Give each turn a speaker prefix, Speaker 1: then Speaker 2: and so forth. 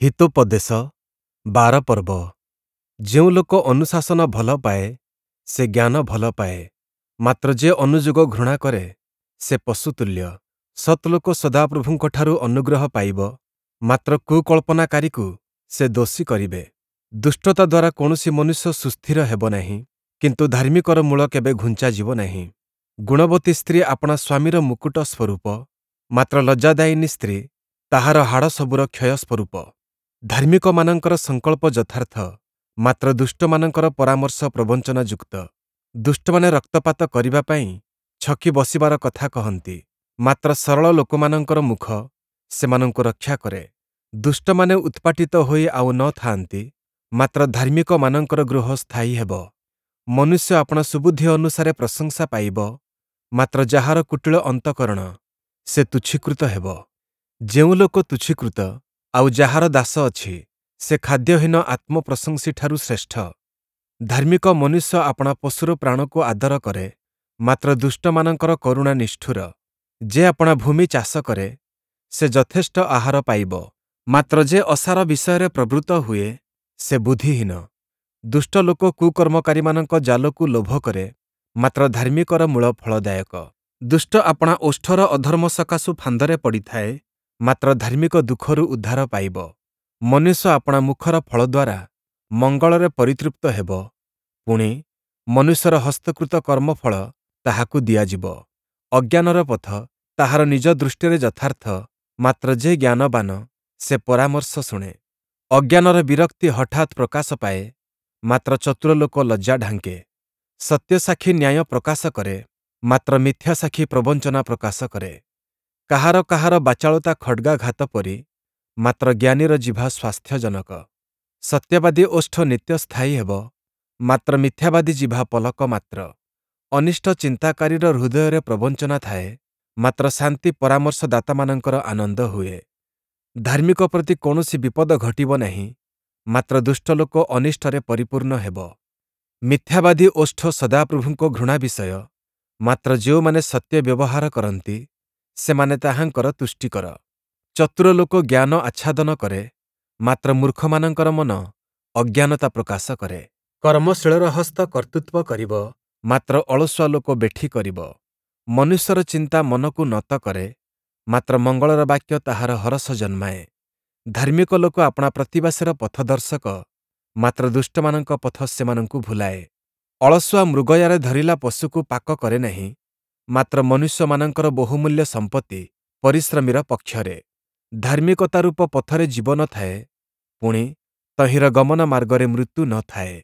Speaker 1: ହିତୋପଦେଶ 12 ପର୍ବ। ଯେଉଁ ଲୋକ ଅନୁଶାସନ ଭଲ ପାଏ, ସେ ଜ୍ଞାନ ଭଲ ପାଏ, ମାତ୍ର ଯେ ଅନୁଯୋଗ ଘୃଣା କରେ, ସେ ପଶୁତୁଲ୍ୟ। ସତ୍ ଲୋକ ସଦାପ୍ରଭୁଙ୍କଠାରୁ ଅନୁଗ୍ରହ ପାଇବ, ମାତ୍ର କୁକଳ୍ପନାକାରୀକୁ ସେ ଦୋଷୀ କରିବେ। ଦୁଷ୍ଟତା ଦ୍ୱାରା କୌଣସି ମନୁଷ୍ୟ ସୁସ୍ଥିର ହେବ ନାହିଁ, କିନ୍ତୁ ଧାର୍ମିକର ମୂଳ କେବେ ଘୁଞ୍ଚାଯିବ ନାହିଁ। ଗୁଣବତୀ ସ୍ତ୍ରୀ ଆପଣା ସ୍ୱାମୀର ମୁକୁଟ ସ୍ୱରୂପ, ମାତ୍ର ଲଜ୍ଜାଦାୟିନୀ ସ୍ତ୍ରୀ ତାହାର ହାଡ଼ସବୁର କ୍ଷୟ ସ୍ୱରୂପ। ଧାର୍ମିକମାନଙ୍କର ସଂକଳ୍ପ ଯଥାର୍ଥ, ମାତ୍ର ଦୁଷ୍ଟମାନଙ୍କର ପରାମର୍ଶ ପ୍ରବଞ୍ଚନାଯୁକ୍ତ। ଦୁଷ୍ଟମାନେ ରକ୍ତପାତ କରିବା ପାଇଁ ଛକି ବସିବାର କଥା କହନ୍ତି, ମାତ୍ର ସରଳ ଲୋକମାନଙ୍କର ମୁଖ ସେମାନଙ୍କୁ ରକ୍ଷା କରେ। ଦୁଷ୍ଟମାନେ ଉତ୍ପାଟିତ ହୋଇ ଆଉ ନ ଥାଆନ୍ତି, ମାତ୍ର ଧାର୍ମିକମାନଙ୍କର ଗୃହ ସ୍ଥାୟୀ ହେବ। ମନୁଷ୍ୟ ଆପଣା ସୁବୁଦ୍ଧି ଅନୁସାରେ ପ୍ରଶଂସା ପାଇବ, ମାତ୍ର ଯାହାର କୁଟିଳ ଅନ୍ତଃକରଣ, ସେ ତୁଚ୍ଛୀକୃତ ହେବ। ଯେଉଁ ଲୋକ ତୁଚ୍ଛୀକୃତ, ଆଉ ଯାହାର ଦାସ ଅଛି, ସେ ଖାଦ୍ୟହୀନ ଆତ୍ମପ୍ରଶଂସୀଠାରୁ ଶ୍ରେଷ୍ଠ। ଧାର୍ମିକ ମନୁଷ୍ୟ ଆପଣା ପଶୁର ପ୍ରାଣକୁ ଆଦର କରେ, ମାତ୍ର ଦୁଷ୍ଟମାନଙ୍କର କରୁଣା ନିଷ୍ଠୁର। ଯେ ଆପଣା ଭୂମି ଚାଷ କରେ, ସେ ଯଥେଷ୍ଟ ଆହାର ପାଇବ, ମାତ୍ର ଯେ ଅସାର ବିଷୟରେ ପ୍ରବୃତ୍ତ ହୁଏ, ସେ ବୁଦ୍ଧିହୀନ। ଦୁଷ୍ଟ ଲୋକ କୁକର୍ମକାରୀମାନଙ୍କ ଜାଲକୁ ଲୋଭ କରେ, ମାତ୍ର ଧାର୍ମିକର ମୂଳ ଫଳଦାୟକ। ଦୁଷ୍ଟ ଆପଣା ଓଷ୍ଠର ଅଧର୍ମ ସକାଶୁ ଫାନ୍ଦରେ ପଡ଼ିଥାଏ, ମାତ୍ର ଧାର୍ମିକ ଦୁଃଖରୁ ଉଦ୍ଧାର ପାଇବ। ମନୁଷ୍ୟ ଆପଣା ମୁଖର ଫଳ ଦ୍ୱାରା ମଙ୍ଗଳରେ ପରିତୃପ୍ତ ହେବ, ପୁଣି, ମନୁଷ୍ୟର ହସ୍ତକୃତ କର୍ମଫଳ ତାହାକୁ ଦିଆଯିବ। ଅଜ୍ଞାନର ପଥ ତାହାର ନିଜ ଦୃଷ୍ଟିରେ ଯଥାର୍ଥ, ମାତ୍ର ଯେ ଜ୍ଞାନବାନ, ସେ ପରାମର୍ଶ ଶୁଣେ। ଅଜ୍ଞାନର ବିରକ୍ତି ହଠାତ୍ ପ୍ରକାଶ ପାଏ, ମାତ୍ର ଚତୁର ଲୋକ ଲଜ୍ଜା ଢାଙ୍କେ। ସତ୍ୟସାକ୍ଷୀ ନ୍ୟାୟ ପ୍ରକାଶ କରେ, ମାତ୍ର ମିଥ୍ୟା ସାକ୍ଷୀ ପ୍ରବଞ୍ଚନା ପ୍ରକାଶ କରେ। କାହାର କାହାର ବାଚାଳତା ଖଡ଼୍ଗାଘାତ ପରି, ମାତ୍ର ଜ୍ଞାନୀର ଜିଭ ସ୍ୱାସ୍ଥ୍ୟଜନକ। ସତ୍ୟବାଦୀ ଓଷ୍ଠ ନିତ୍ୟ ସ୍ଥାୟୀ ହେବ, ମାତ୍ର ମିଥ୍ୟାବାଦୀ ଜିଭ ପଲକ ମାତ୍ର। ଅନିଷ୍ଟ ଚିନ୍ତାକାରୀର ହୃଦୟରେ ପ୍ରବଞ୍ଚନା ଥାଏ, ମାତ୍ର ଶାନ୍ତି ପରାମର୍ଶଦାତାମାନଙ୍କର ଆନନ୍ଦ ହୁଏ। ଧାର୍ମିକ ପ୍ରତି କୌଣସି ବିପଦ ଘଟିବ ନାହିଁ, ମାତ୍ର ଦୁଷ୍ଟ ଲୋକ ଅନିଷ୍ଟରେ ପରିପୂର୍ଣ୍ଣ ହେବ। ମିଥ୍ୟାବାଦୀ ଓଷ୍ଠ ସଦାପ୍ରଭୁଙ୍କ ଘୃଣା ବିଷୟ, ମାତ୍ର ଯେଉଁମାନେ ସତ୍ୟ ବ୍ୟବହାର କରନ୍ତି, ସେମାନେ ତାହାଙ୍କର ତୁଷ୍ଟିକର। ଚତୁର ଲୋକ ଜ୍ଞାନ ଆଚ୍ଛାଦନ କରେ, ମାତ୍ର ମୂର୍ଖମାନଙ୍କର ମନ ଅଜ୍ଞାନତା ପ୍ରକାଶ କରେ। କର୍ମଶୀଳର ହସ୍ତ କର୍ତ୍ତୃତ୍ୱ କରିବ, ମାତ୍ର ଅଳସୁଆ ଲୋକ ବେଠି କରିବ। ମନୁଷ୍ୟର ଚିନ୍ତା ମନକୁ ନତ କରେ, ମାତ୍ର ମଙ୍ଗଳର ବାକ୍ୟ ତାହାର ହରଷ ଜନ୍ମାଏ। ଧାର୍ମିକ ଲୋକ ଆପଣା ପ୍ରତିବାସୀର ପଥଦର୍ଶକ, ମାତ୍ର ଦୁଷ୍ଟମାନଙ୍କ ପଥ ସେମାନଙ୍କୁ ଭୁଲାଏ। ଅଳସୁଆ ମୃଗୟାରେ ଧରିଲା ପଶୁକୁ ପାକ କରେ ନାହିଁ, ମାତ୍ର ମନୁଷ୍ୟମାନଙ୍କର ବହୁମୂଲ୍ୟ ସମ୍ପତ୍ତି ପରିଶ୍ରମୀର ପକ୍ଷରେ। ଧାର୍ମିକତା ରୂପ ପଥରେ ଜୀବନ ଥାଏ, ପୁଣି, ତହିଁର ଗମନ ମାର୍ଗରେ ମୃତ୍ୟୁ ନ ଥାଏ।